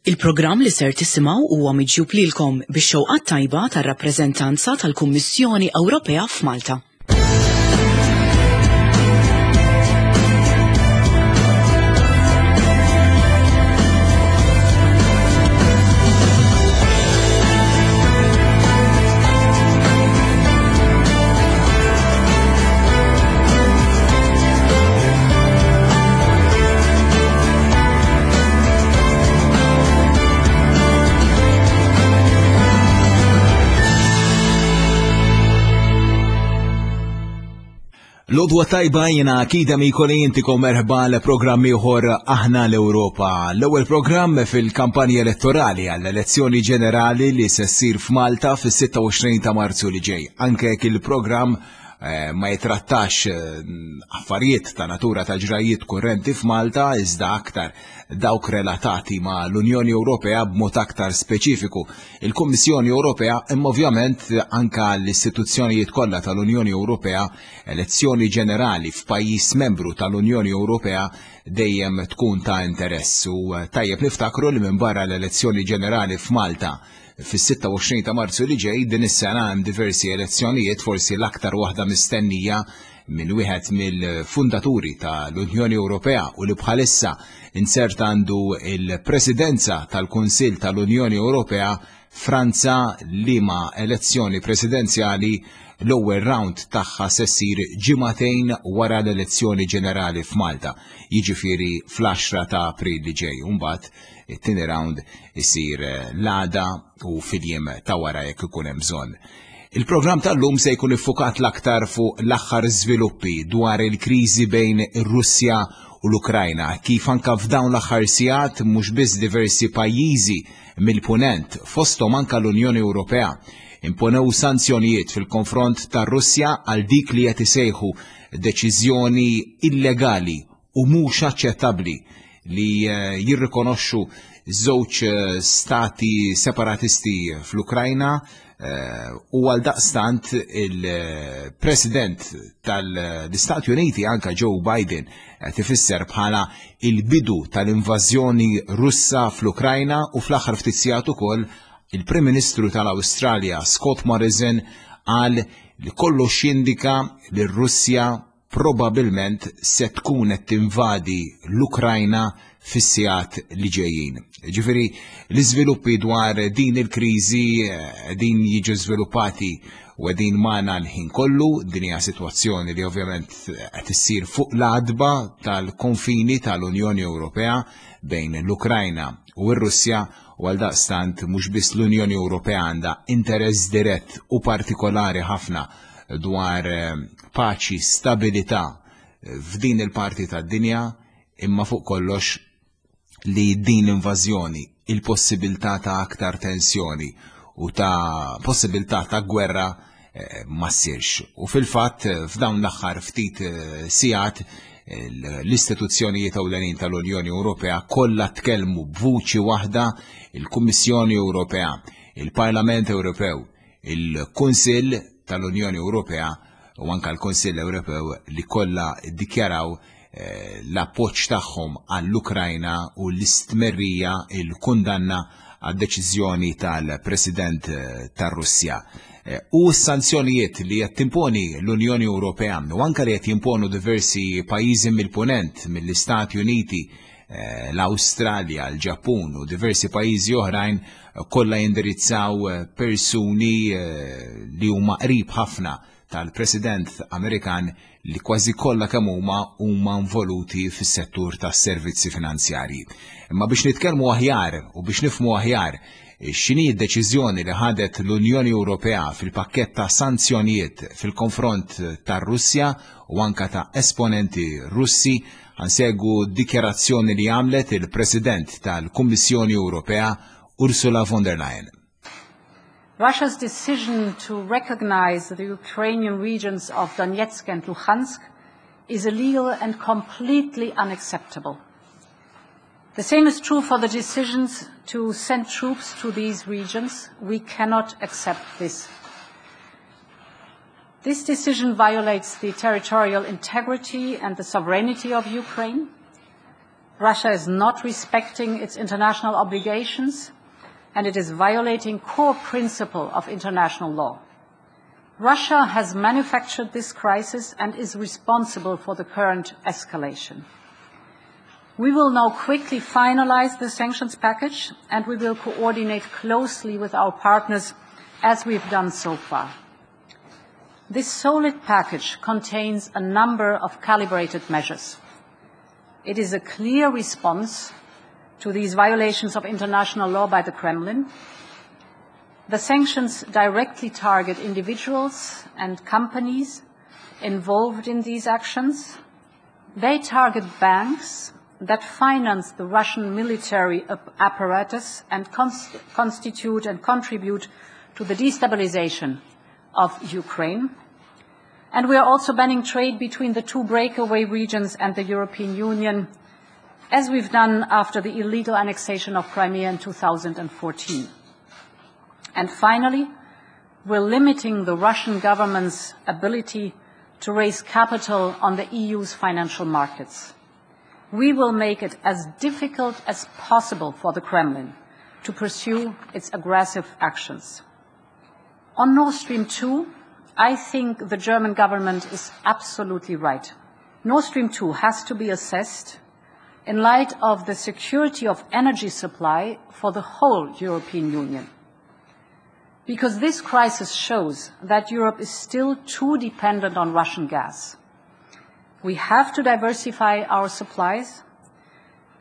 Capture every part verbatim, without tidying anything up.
Il-programm li ser tisimgħu huwa miġjub lilkom bix-xewqat tajba tar-rappreżentanza tal-Kummissjoni Ewropea f'Malta. L-għodwa tajba, jiena Kida Mikoli, intikom merħba l-programm ieħor Aħna l-Ewropa. L-ewwel programm fil-kampanja elettorali għall-elezzjoni ġenerali li se ssir f'Malta fis-sitta u għoxrin ta' Marzu li ġej. Anke jekk il-programm eh, ma jitrattax eh, affarijiet ta' natura ta' ġrajiet kurrenti f'Malta, iżda aktar dawk relatati ma' l-Unjoni Ewropea, b'mod aktar speċifiku il-Kummissjoni Ewropea, imma ovvjament anka l-istituzzjonijiet kollha tal-Unjoni Ewropea. Elezzjoni ġenerali f'pajjiż membru tal-Unjoni Ewropea dejjem tkun ta' interess u tajjeb niftakru li minn barra l-elezzjoni ġenerali f'Malta fis-sitta u għoxrin ta' Marzu li ġej, din is-sena hemm diversi elezzjonijiet, forsi l-aktar waħda mistennija minn wieħed mill-fundaturi tal-Unjoni Ewropea u li bħalissa inzerta għandu il-Presidenza tal-Kunsill tal-Unjoni Ewropea, Franza, liema elezzjoni presidenzjali l-ewwel round tagħha se ssir ġimagħtejn wara l-elezzjoni ġenerali f'Malta, jiġifieri fl-għaxra ta' April li ġej. Mbagħad it-tieni round isir l-għada u fil-jiem ta' wara jekk ikun hemm bżonn. Il-programm tal-lum se jkun iffukat l-aktar fuq l-aħħar żviluppi dwar il-kriżi bejn ir-Russja u l-Ukrajna, kif anka f'dawn l-aħħar sigħat mhux biss diversi pajjiżi mill-punent, fosthom anka l-Unjoni Ewropea, imponew sanzjonijiet fil-konfront tar-Russja għal dik li qed isejħu deċiżjoni illegali u mhux aċċettabbli li eh, jirrikonoxxu żewġ eh, stati separatisti fl-Ukrajna eh, u għal daqstant il-President tal-Istati Uniti, anka Joe Biden, qed ifisser bħala il-bidu tal-invażjoni Russa fl-Ukrajna, u fl-aħħar ftit sigħat ukoll il-Prim Ministru tal-Awstralja Scott Morrison qal li kollox jindika li r-Russja probabilment se tkun qed tinvadi l-Ukrajna fis-sigħat li ġejjin. Ġifieri l-iżviluppi dwar din il-kriżi eh, din jiġu żviluppati u din magħna l-ħin kollu. Din hija sitwazzjoni li ovvjament qed issir fuq l-għatba tal-konfini tal-Unjoni Ewropea bejn l-Ukrajna u r-Russja, u għal daqstant mhux biss l-Unjoni Ewropea għandha interess dirett u partikolari ħafna dwar eh, paċi, stabilità eh, f'din il-parti tad-dinja, imma fuq kollox li din l-invażjoni, il-possibilità ta' aktar tensjoni u ta' possibilità ta' gwerra eh, ma ssirx. U fil-fatt f'dawn l-aħħar ftit sigħat l-istituzzjonijiet ewlenin tal-Unjoni Ewropea kollha tkellmu b'vuċi waħda: il-Kummissjoni Ewropea, il-Parlament Ewropew, il-Kunsill tal-Unjoni Ewropea u anka l-Kunsill Ewropew, li kollha ddikjaraw eh, l-appoġġ tagħhom għall-Ukrajna u l-istmerrija, il-kundanna għad-deċiżjoni tal-President eh, tar-Russja. Eh, u s-sanzjonijiet li qed timponi l-Unjoni Ewropea u anka li qed jimponu diversi pajjiżi mill-Punent, mill-Istati Uniti, l-Awstralja, l-Ġappun u diversi pajjiżi oħrajn, kollha jindirizzaw persuni li huma qrib ħafna tal-President Amerikan, li kważi kollha kemm huma huma involuti fis-settur tas-servizzi finanzjarji. Imma biex nitkellmu aħjar u biex nifhmu aħjar x'inhi d-deċiżjoni li ħadet l-Unjoni Ewropea fil-pakkett ta' sanzjonijiet fil-konfront tar-Russja u anka ta' esponenti Russi, ħa nsegwu dikjarazzjoni li għamlet il-President tal-Kummissjoni Ewropea Ursula von der Leyen. Russia's decision to recognize the Ukrainian regions of Donetsk and Luhansk is illegal and completely unacceptable. The same is true for the decisions to send troops to these regions. We cannot accept this. This decision violates the territorial integrity and the sovereignty of Ukraine. Russia is not respecting its international obligations and it is violating core principle of international law. Russia has manufactured this crisis and is responsible for the current escalation. We will now quickly finalize the sanctions package and we will coordinate closely with our partners as we've done so far. This solid package contains a number of calibrated measures. It is a clear response to these violations of international law by the Kremlin. The sanctions directly target individuals and companies involved in these actions. They target banks that finance the Russian military apparatus and const constitute and contribute to the destabilization of Ukraine. And we are also banning trade between the two breakaway regions and the European Union, as we've done after the illegal annexation of Crimea in two thousand fourteen. And finally, we're limiting the Russian government's ability to raise capital on the E U's financial markets. We will make it as difficult as possible for the Kremlin to pursue its aggressive actions. On Nord Stream two, I think the German government is absolutely right. Nord Stream two has to be assessed in light of the security of energy supply for the whole European Union. Because this crisis shows that Europe is still too dependent on Russian gas. We have to diversify our supplies,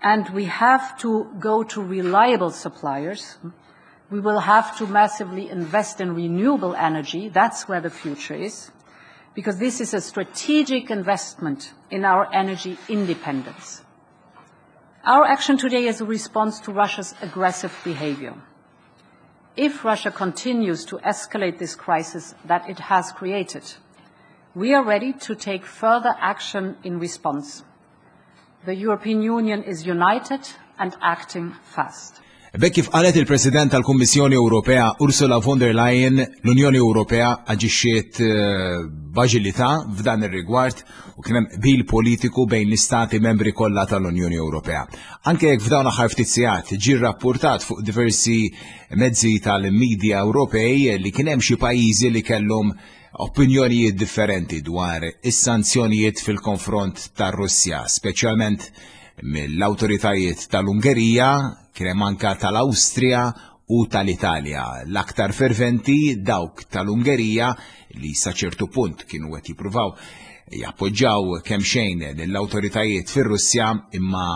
and we have to go to reliable suppliers. We will have to massively invest in renewable energy. That's where the future is, because this is a strategic investment in our energy independence. Our action today is a response to Russia's aggressive behavior. If Russia continues to escalate this crisis that it has created, we are ready to take further action in response. The European Union is united and acting fast. B'hekk kif qalet il-President tal-Kummissjoni Ewropea Ursula von der Leyen, l-Unjoni Ewropea aġixxiet b'aġilità f'dan ir-rigward u kien hemm qbil politiku bejn l-istati membri kollha tal-Unjoni Ewropea. Anke jekk f'dawn aħħar ftit sigħat ġie rrappurtat fuq diversi mezzi tal-medja Ewropej li kien hemm xi pajjiżi li kellhom opinjonijiet differenti dwar is-sanzjonijiet fil-konfront tar-Russja, speċjalment mill-awtoritajiet tal-Ungerija, kien hemm anke tal-Awstrija u tal-Italja. L-aktar ferventi dawk tal-Ungerija li sa ċertu punt kienu qed jippruvaw jappoġġaw kemm xejn lill-awtoritajiet fir-Russja, imma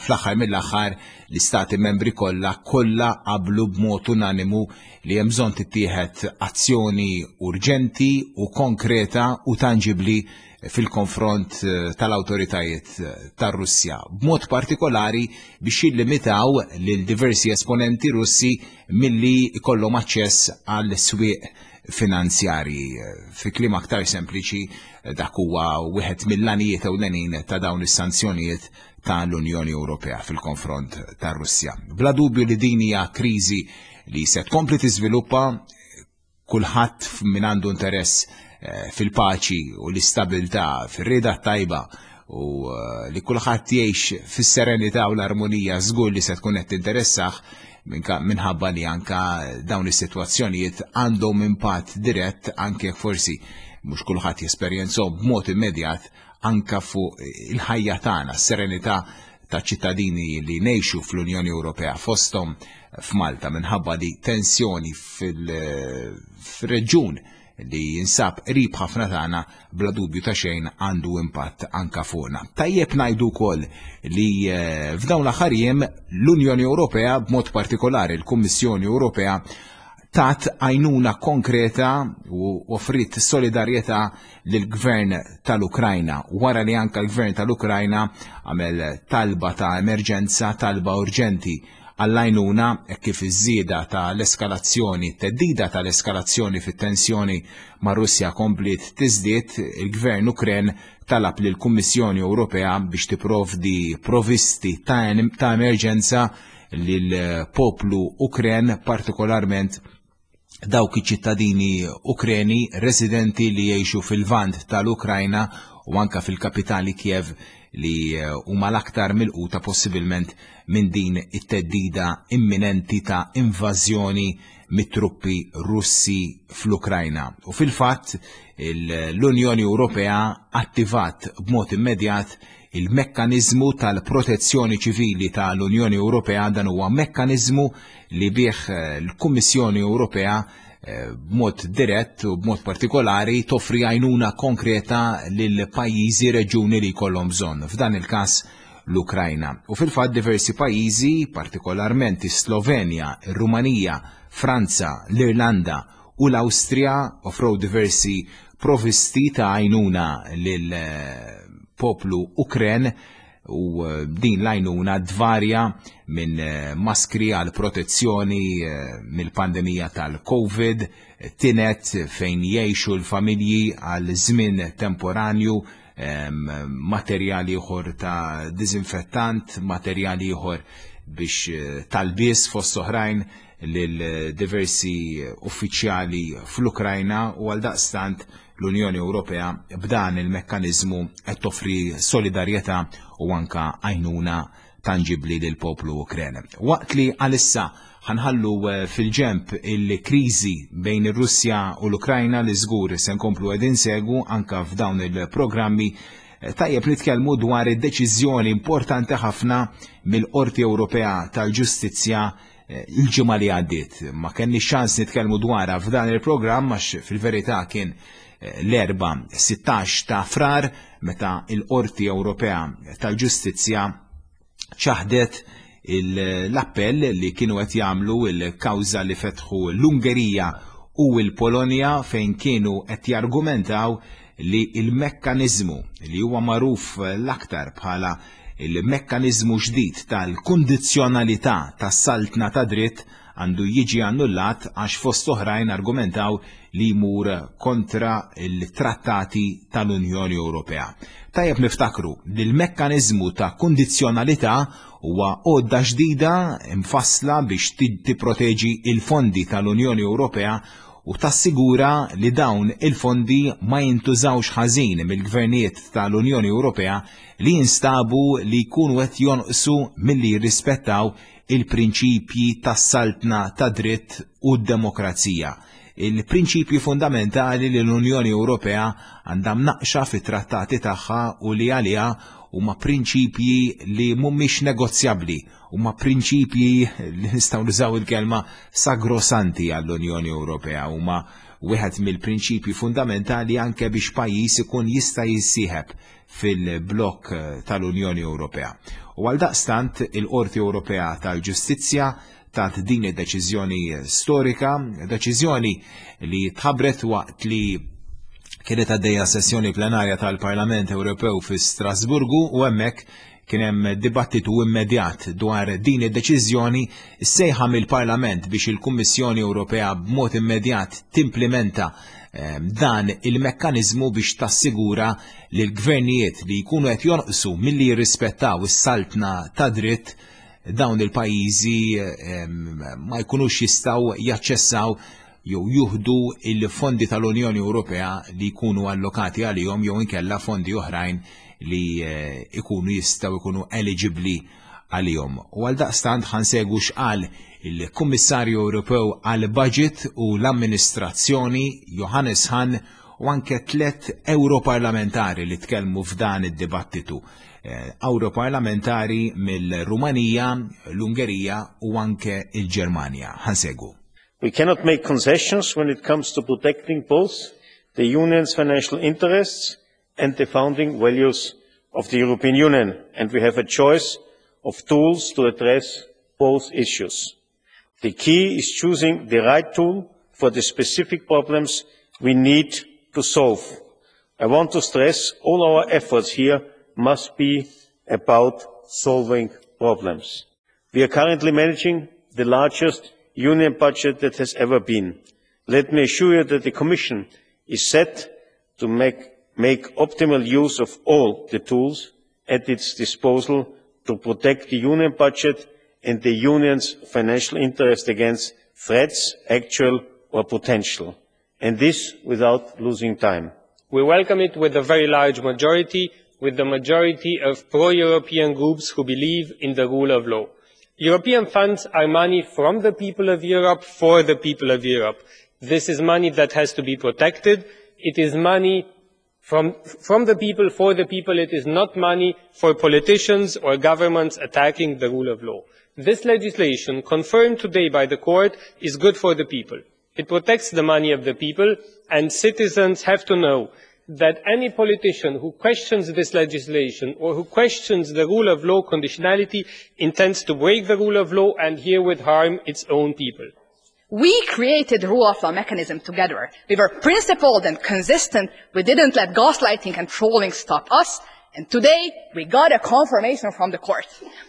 fl-aħħar mill-aħħar l-istati membri kollha kollha qablu b'mod unanimu li hemm bżonn tittieħed azzjoni urġenti u konkreta u tanġibli fil-konfront tal-awtoritajiet tar-Russja, b'mod partikolari biex jillimitaw lil diversi esponenti Russi milli jkollhom aċċess għal swieq finanzjarji. Fi kliem aktar sempliċi, dak huwa wieħed mill-għanijiet ewlenin ta' dawn is-sanzjonijiet tal-Unjoni Ewropea fil-konfront tar-Russja. Bla dubju li din hija kriżi li se tkompli tiżviluppa, kulħadd min għandu interess fil-paċi u l-istabilità, fir-rieda tajba u li kulħadd jgħix fis-serenità u l-armonija żgur li se tkun qed tinteressah minħabba li anka dawn is-sitwazzjonijiet għandhom impatt dirett anke jekk forsi mhux kulħadd jesperjenzhom b'mod immedjat anka fuq il-ħajja tagħna, s-serenità ta' ċittadini li ngħixu fl-Unjoni Ewropea fosthom f'Malta minħabba li tensjoni fil-reġjun li jinsab qrib ħafna tagħna bla dubju ta' xejn għandu impatt anka fuqna. Tajjeb ngħidu wkoll li f'dawn l-aħħar jiem l-Unjoni Ewropea b'mod partikolari l-Kummissjoni Ewropea tat għajnuna konkreta u offrit solidarjetà lill-Gvern tal-Ukrajna wara li anka l-Gvern tal-Ukrajna għamel talba ta' emerġenza, talba urġenti għall-għajnuna kif iż-żieda tal-eskalazzjoni, theddida tal-eskalazzjoni fit-tensjoni ma' Russja kompliet tiżdied, il-Gvern Ukren talab lill-Kummissjoni Ewropea biex tipprovdi provisti ta' emerġenza lill-poplu Ukren, partikolarment dawk iċ-ċittadini Ukreni residenti li jgħixu fil-Lvant tal-Ukrajna u anka fil-kapitali Kiev li eh, huma l-aktar milquta possibilment minn din it-theddida imminenti ta' invażjoni mit-truppi Russi fl-Ukrajna. U fil-fatt l-Unjoni Ewropea attivat b'mod immedjat il-mekkanizmu tal-protezzjoni ċivili tal-Unjoni Ewropea. Dan huwa mekkanizmu li bih eh, l-Kummissjoni Ewropea eh, b'mod dirett u b'mod partikolari toffri għajnuna konkreta lil pajjiżi, reġuni li jkollhom bżonn. F'dan il-każ l-Ukrajna. U fil-fatt diversi pajjiżi, partikolarment is-Slovenja, ir-Rumanija, Franza, l-Irlanda u l-Awstrija, offrow diversi provisti ta' għajnuna lil eh, poplu Ukren u eh, din l-għajnuna dvarja minn eh, maskri għal protezzjoni mill-pandemija tal-Covid, tined fejn jgħixu l-familji għal żmien temporanju, materjali ieħor ta' dizinfettant, materjali ieħor biex talbies, fost oħrajn, lil diversi uffiċjali fl-Ukrajna. U għal daqstant l-Unjoni Ewropea b'dan il-mekkanizmu qed toffri solidarjetà u anka għajnuna tangibli lil poplu Ukren. Waqt li għalissa ħa nħallu eh, fil-ġemp il-kriżi bejn ir-Russja u l-Ukrajna, li żgur se nkomplu qegħdin insegwu anka f'dawn il-programmi, eh, tajjeb nitkellmu dwar id-deċiżjoni importanti ħafna mill-Qorti Ewropea tal-Ġustizzja eh, il-ġimgħa li għaddiet. Ma kenniex ċans nitkellmu dwarha f'dan il-programm għax fil-verità kien l-Erbgħa sittax ta' Frar meta il-Qorti Ewropea tal-Ġustizzja ċaħdet l-appell li kienu qed jagħmlu, il-kawża li fetħu l-Ungerija u l-Polonja, fejn kienu qed jargumentaw li il-mekkanizmu li huwa magħruf l-aktar bħala il-mekkanizmu ġdid tal-kundizzjonalità tas-saltna ta' dritt għandu jiġi annullat, għax fost oħrajn argumentaw li jmur kontra il-trattati tal-Unjoni Ewropea. Tajjeb niftakru li l-mekkanizmu ta' kundizzjonalità huwa għodda ġdida imfassla biex tipproteġi il-fondi tal-Unjoni Ewropea u tassigura li dawn il-fondi ma jintużawx ħażin mill-gvernijiet tal-Unjoni Ewropea li jinstabu li jkunu qed jonqsu milli jirrispettaw il-prinċipji tas-saltna ta' dritt u d-demokrazija. Il-prinċipji fundamentali li l-Unjoni Ewropea għandha mnaqxa fit-trattati tagħha u li għaliha huma prinċipji li mhumiex negozjabbli, huma prinċipji li nistgħu nużaw il-kelma sagrosanti għall-Unjoni Ewropea, huma wieħed mill-prinċipji fundamentali anke biex pajjiż ikun jista' jissieħeb fil-blok tal-Unjoni Ewropea. U għal daqstant il-Qorti Ewropea tal-Ġustizzja tat din id-deċiżjoni storika, deċiżjoni li tħabbret waqt li kienet għaddejja sessjoni plenarja tal-Parlament Ewropew fi Strasburgu, u hemmhekk kien hemm dibattitu immedjat dwar din id-deċiżjoni, sejħa mill-Parlament biex il-Kummissjoni Ewropea b'mod immedjat timplementa ehm, dan il-mekkanizmu biex tassigura li l-gvernijiet li jkunu qed jonqsu milli jirrispettaw is-saltna ta' dritt, dawn il-pajjiżi ehm, ma jkunux jistgħu jaċċessaw jew juħdu il-fondi tal-Unjoni Ewropea li jkunu allokati għalihom jew inkella fondi oħrajn li eh, ikunu jistgħu jkunu eligibli għalihom. U għal daqstant ħa nsegwu x'qal il-Kummissarju Ewropew għal Budget u l-Amministrazzjoni Johannes Hahn u anke tlet europarlamentari li tkellmu f'dan id-dibattitu. Eh, europarlamentari mill-Rumanija, l-Ungerija u anke il-Ġermanja. Ħa nsegwu. We cannot make concessions when it comes to protecting both the Union's financial interests and the founding values of the European Union, and we have a choice of tools to address both issues. The key is choosing the right tool for the specific problems we need to solve. I want to stress all our efforts here must be about solving problems. We are currently managing the largest Union budget that has ever been. Let me assure you that the Commission is set to make, make optimal use of all the tools at its disposal to protect the Union budget and the Union's financial interest against threats, actual or potential, and this without losing time. We welcome it with a very large majority, with the majority of pro-European groups who believe in the rule of law. European funds are money from the people of Europe for the people of Europe. This is money that has to be protected. It is money from, from the people for the people. It is not money for politicians or governments attacking the rule of law. This legislation, confirmed today by the court, is good for the people. It protects the money of the people, and citizens have to know that any politician who questions this legislation or who questions the rule of law conditionality intends to break the rule of law and herewith harm its own people. We created the rule of law mechanism together. We were principled and consistent. We didn't let gaslighting and trolling stop us. And today, we got a confirmation from the court.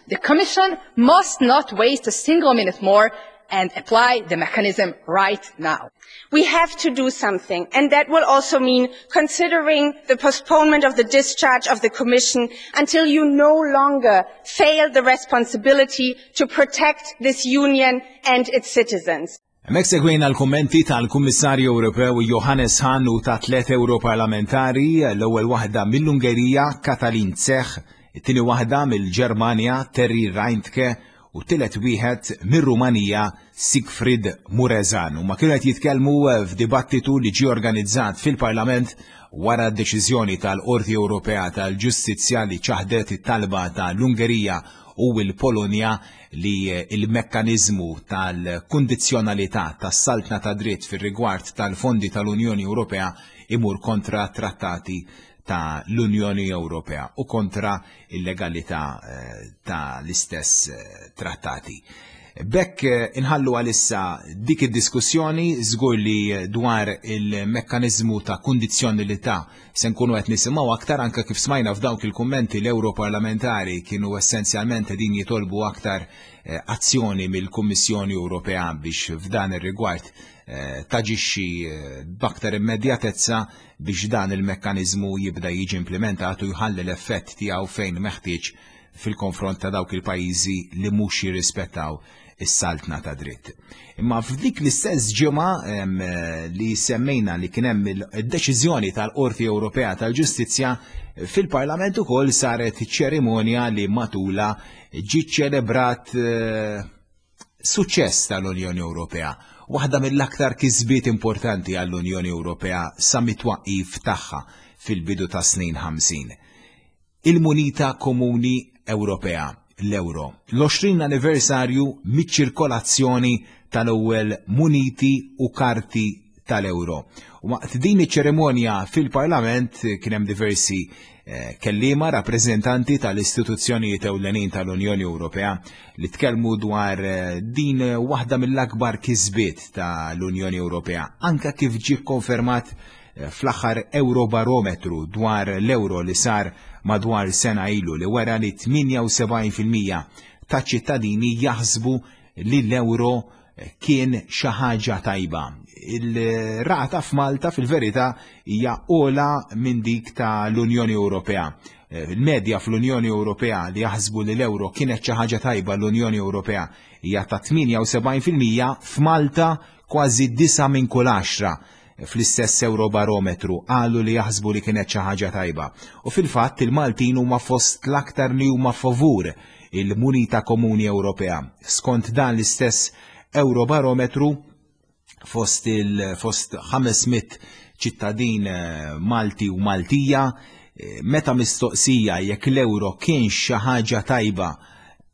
The Commission must not waste a single minute more and apply the mechanism right now. We have to do something, and that will also mean considering the postponement of the discharge of the Commission until you no longer fail the responsibility to protect this union and its citizens. Hemmhekk segwejna l-kommenti tal-Kummissarju Ewropew Johannes Hahn u ta' tliet Europarlamentari, l-ewwel waħda mill-Ungerija Katalin Cseh, it-tieni waħda mill-Ġermanja Terry Reintke u t-tielet wieħed mir-Rumanija Siegfried Muresan. Huma kienu qed jitkellmu f'dibattitu li ġie organizzat fil-Parlament wara d-deċiżjoni tal-Qorti Ewropea tal-Ġustizzja li ċaħdet it-talba tal-Ungerija u l-Polonja li il-mekkanizmu tal-kundizzjonalità tas-saltna ta' dritt fir-rigward tal-fondi tal-Unjoni Ewropea imur kontra trattati ta' l-Unjoni Ewropea u kontra il-legalità eh, ta' l-istess eh, trattati. B'hekk eh, inħallu għalissa dik id-diskussjoni. Żgur li dwar il-mekkanizmu ta' kundizzjonalità se nkunu qed nisimgħu aktar, anke kif smajna f'dawk il-kummenti l-Europarlamentari kienu essenzjalment din jitolbu aktar azzjoni mill-Kummissjoni Ewropea biex f'dan ir-rigward taġixxi b'aktar immedjatezza biex dan il-mekkanizmu jibda jiġi implementat u jħalli l-effett tiegħu fejn meħtieġ fil-konfront ta' dawk il-pajjiżi li mhux jirrispettaw is-saltna ta' dritt. Imma f'dik l-istess ġimgħa li semmejna li kien hemm id-deċiżjoni tal-Qorti Ewropea tal-Ġustizzja, fil-Parlament ukoll saret ċerimonja li matula ġie ċelebrat eh, suċċess tal-Unjoni Ewropea. Waħda mill-aktar kisbiet importanti għall-Unjoni Ewropea sa mit-twaqqif tagħha fil-bidu ta' snin ħamsin. Il-munita komuni Ewropea, l-euro. L-għoxrin anniversarju miċ-ċirkolazzjoni tal-ewwel muniti u karti tal-euro. U waqt din iċ-ċerimonja fil-Parlament kien hemm diversi eh, kelliema rappreżentanti tal-istituzzjonijiet ewlenin tal-Unjoni Ewropea li tkellmu dwar eh, din waħda mill-akbar kisbiet tal-Unjoni Ewropea, anka kif ġie konfermat eh, fl-aħħar Eurobarometru dwar l-euro li sar madwar sena ilu, li wera li tmienja u sebgħin fil-mija ta' ċittadini jaħsbu li l-euro kien xi ħaġa tajba. Il-rata f'Malta fil-verità hija ogħla minn dik ta' l-Unjoni Ewropea. Il-medja fl-Unjoni Ewropea li jaħsbu li l-euro kienet xi ħaġa tajba l-Unjoni Ewropea hija ta' tmienja u sebgħin fil-mija, f'Malta kważi disa' minn kull għaxra fl-istess Eurobarometru qalu li jaħsbu li kienet xi ħaġa tajba. U fil-fatt il-Maltin huma fost l-aktar li huma favur il-munita komuni Ewropea. Skont dan l-istess Eurobarometru, fost il fost ħames mitt ċittadin eh, Malti u Maltija, eh, meta mistoqsija jekk l-euro kien xi ħaġa tajba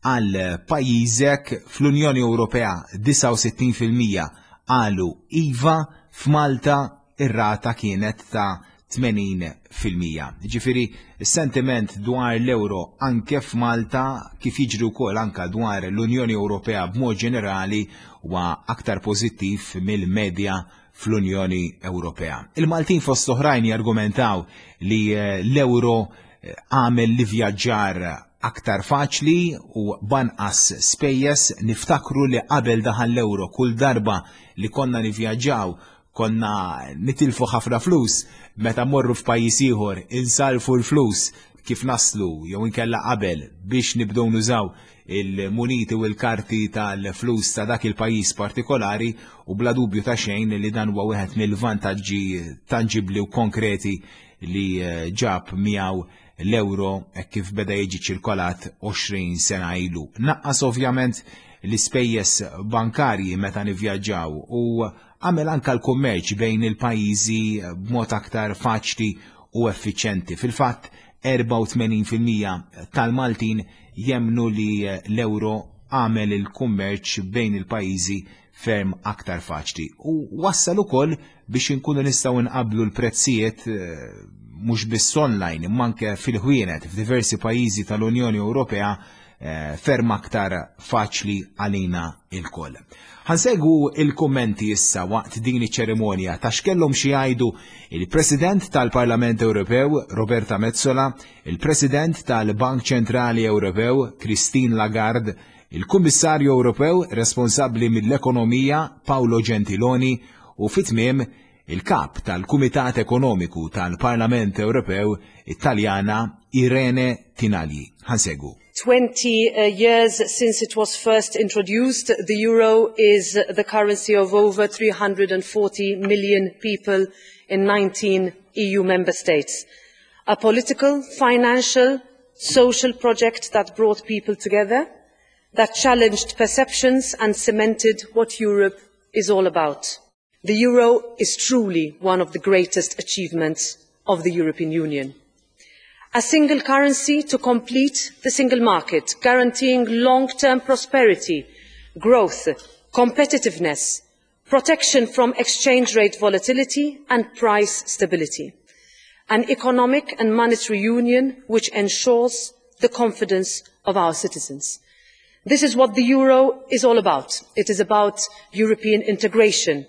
għal pajjiżek, fl-Unjoni Ewropea disgħa u sittin fil-mija qalu iva, f'Malta ir-rata kienet ta' tmenin fil-mija. Ġifieri, sentiment dwar l-euro anke f'Malta, kif jiġri wkoll anka dwar l-Unjoni Ewropea b'mod ġenerali, huwa aktar pożittiv mill-medja fl-Unjoni Ewropea. Il-Maltin fost oħrajn jargumentaw li eh, l-euro eh, għamel l-ivvjaġġar aktar faċli u b'anqas spejjeż. Niftakru li qabel daħal l-euro, kull darba li konna nivvjaġġaw konna nitilfu ħafna flus. Meta morru f'pajjiż ieħor insalfu l-flus kif naslu jew inkella qabel biex nibdew nużaw il-muniti u l-karti tal-flus ta' dak il-pajjiż partikolari u bla dubju ta' xejn li dan huwa wieħed mill-vantaġġi tanġibli u konkreti li eh, ġab miegħu l-euro kif beda jiġi ċirkolat għoxrin sena ilu. Naqqas ovvjament l-ispejjeż bankarji meta nivvjaġġaw u għamel anka l-kummerċ bejn il-pajjiżi b'mod aktar faċli u effiċjenti. Fil-fatt, erbgħa u tmenin fil-mija tal-Maltin jemnu li l-euro għamel il-kummerċ bejn il-pajjiżi ferm aktar faċli. U wassal ukoll biex inkunu nistgħu nqablu l-prezzijiet eh, mhux biss online imma anke fil-ħwienet f'diversi pajjiżi tal-Unjoni Ewropea eh, ferm aktar faċli għalina ilkoll. Ħa nsegwu il-kummenti issa waqt din iċ-ċerimonja ta' x'kellhom xi jgħidu il-President tal-Parlament Ewropew Roberta Metsola, il-President tal-Bank Ċentrali Ewropew Christine Lagarde, il-Kummissarju Ewropew responsabbli mill-Ekonomija Paolo Gentiloni u fit-tmiem il-kap tal-Kumitat Ekonomiku tal-Parlament Ewropew Italjana Irene Tinagli. Ħa nsegwu. twenty uh, years since it was first introduced, the euro is the currency of over three hundred forty million people in nineteen E U member states. A political, financial, social project that brought people together, that challenged perceptions and cemented what Europe is all about. The euro is truly one of the greatest achievements of the European Union. A single currency to complete the single market, guaranteeing long-term prosperity, growth, competitiveness, protection from exchange rate volatility and price stability. An economic and monetary union which ensures the confidence of our citizens. This is what the euro is all about. It is about European integration,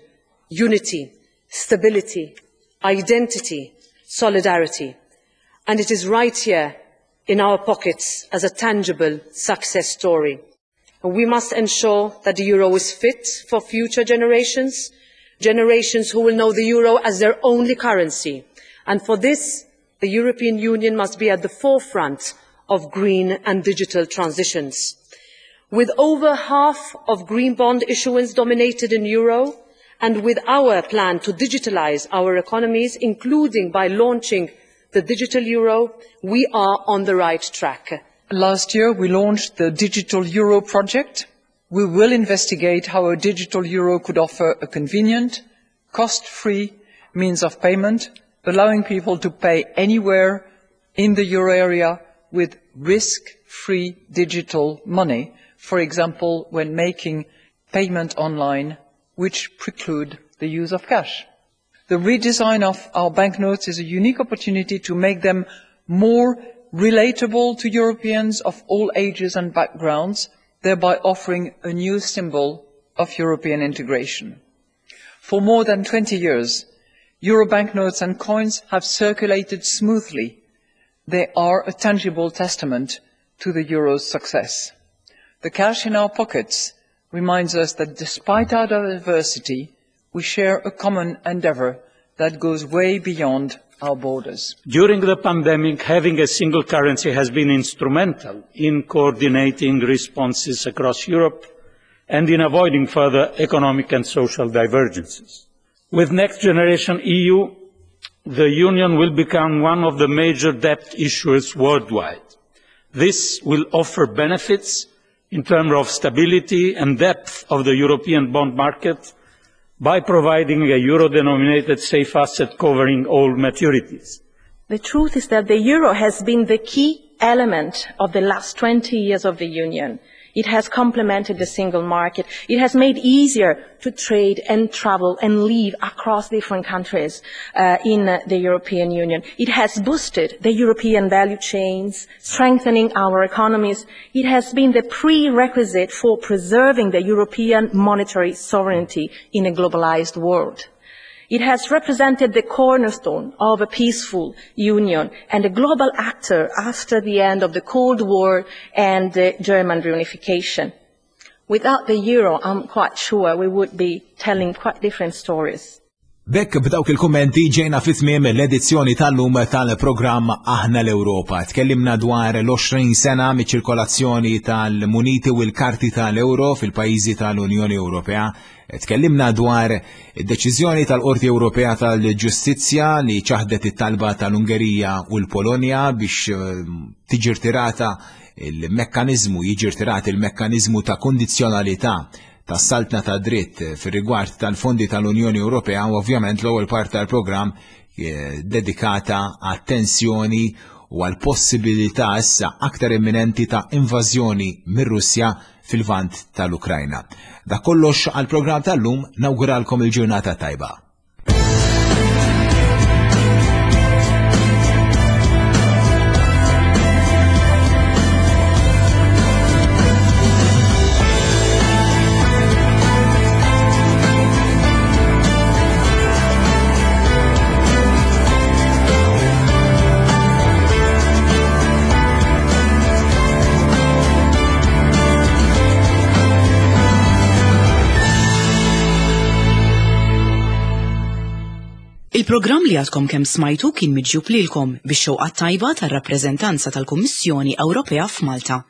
unity, stability, identity, solidarity. And it is right here in our pockets as a tangible success story. And we must ensure that the euro is fit for future generations, generations who will know the euro as their only currency. And for this, the European Union must be at the forefront of green and digital transitions. With over half of green bond issuance denominated in euro, and with our plan to digitalise our economies, including by launching the digital euro, we are on the right track. Last year, we launched the Digital Euro project. We will investigate how a digital euro could offer a convenient, cost-free means of payment, allowing people to pay anywhere in the euro area with risk-free digital money, for example, when making payment online, which preclude the use of cash. The redesign of our banknotes is a unique opportunity to make them more relatable to Europeans of all ages and backgrounds, thereby offering a new symbol of European integration. For more than twenty years, euro banknotes and coins have circulated smoothly. They are a tangible testament to the euro's success. The cash in our pockets reminds us that despite our diversity, we share a common endeavor that goes way beyond our borders. During the pandemic, having a single currency has been instrumental in coordinating responses across Europe and in avoiding further economic and social divergences. With Next Generation E U, the Union will become one of the major debt issuers worldwide. This will offer benefits in terms of stability and depth of the European bond market by providing a euro-denominated safe asset covering all maturities. The truth is that the euro has been the key element of the last twenty years of the Union. It has complemented the single market. It has made easier to trade and travel and live across different countries uh, in uh, the European Union. It has boosted the European value chains, strengthening our economies. It has been the prerequisite for preserving the European monetary sovereignty in a globalized world. It has represented the cornerstone of a peaceful union and a global actor after the end of the Cold War and the German reunification. Without the euro, I'm quite sure we would be telling quite different stories. B'hekk b'dawk il-kummenti ġejna fi tmiem l-edizzjoni tal-lum tal-programm Aħna l-Ewropa. Tkellimna dwar l-għoxrin sena miċ-ċirkolazzjoni tal-muniti u l-karti tal-euro fil-pajjiżi tal-Unjoni Ewropea. Tkellimna dwar id-deċiżjoni tal-Qorti Ewropea tal-Ġustizzja li ċaħdet it-talba tal-Ungerija u l-Polonja biex eh, tiġi rtirata il-mekkaniżmu, jiġi rtirat il-mekkaniżmu ta' kondizzjonalità tas-saltna ta' dritt fir-rigward tal-fondi tal-Unjoni Ewropea u ovvjament l-ewwel part tal-programm eh, dedikata għat-tensjoni u għal possibilità issa aktar imminenti ta' invażjoni mir-Russja fil-vant tal-Ukrajna. Dak kollox għal-programm tal-lum, nawguralkom il-ġurnata tajba. Il-programm li għadkom kemm smajtu kien miġjub lilkom bix-xewqa tajba tar-rappreżentanza tal-Kummissjoni Ewropea f'Malta.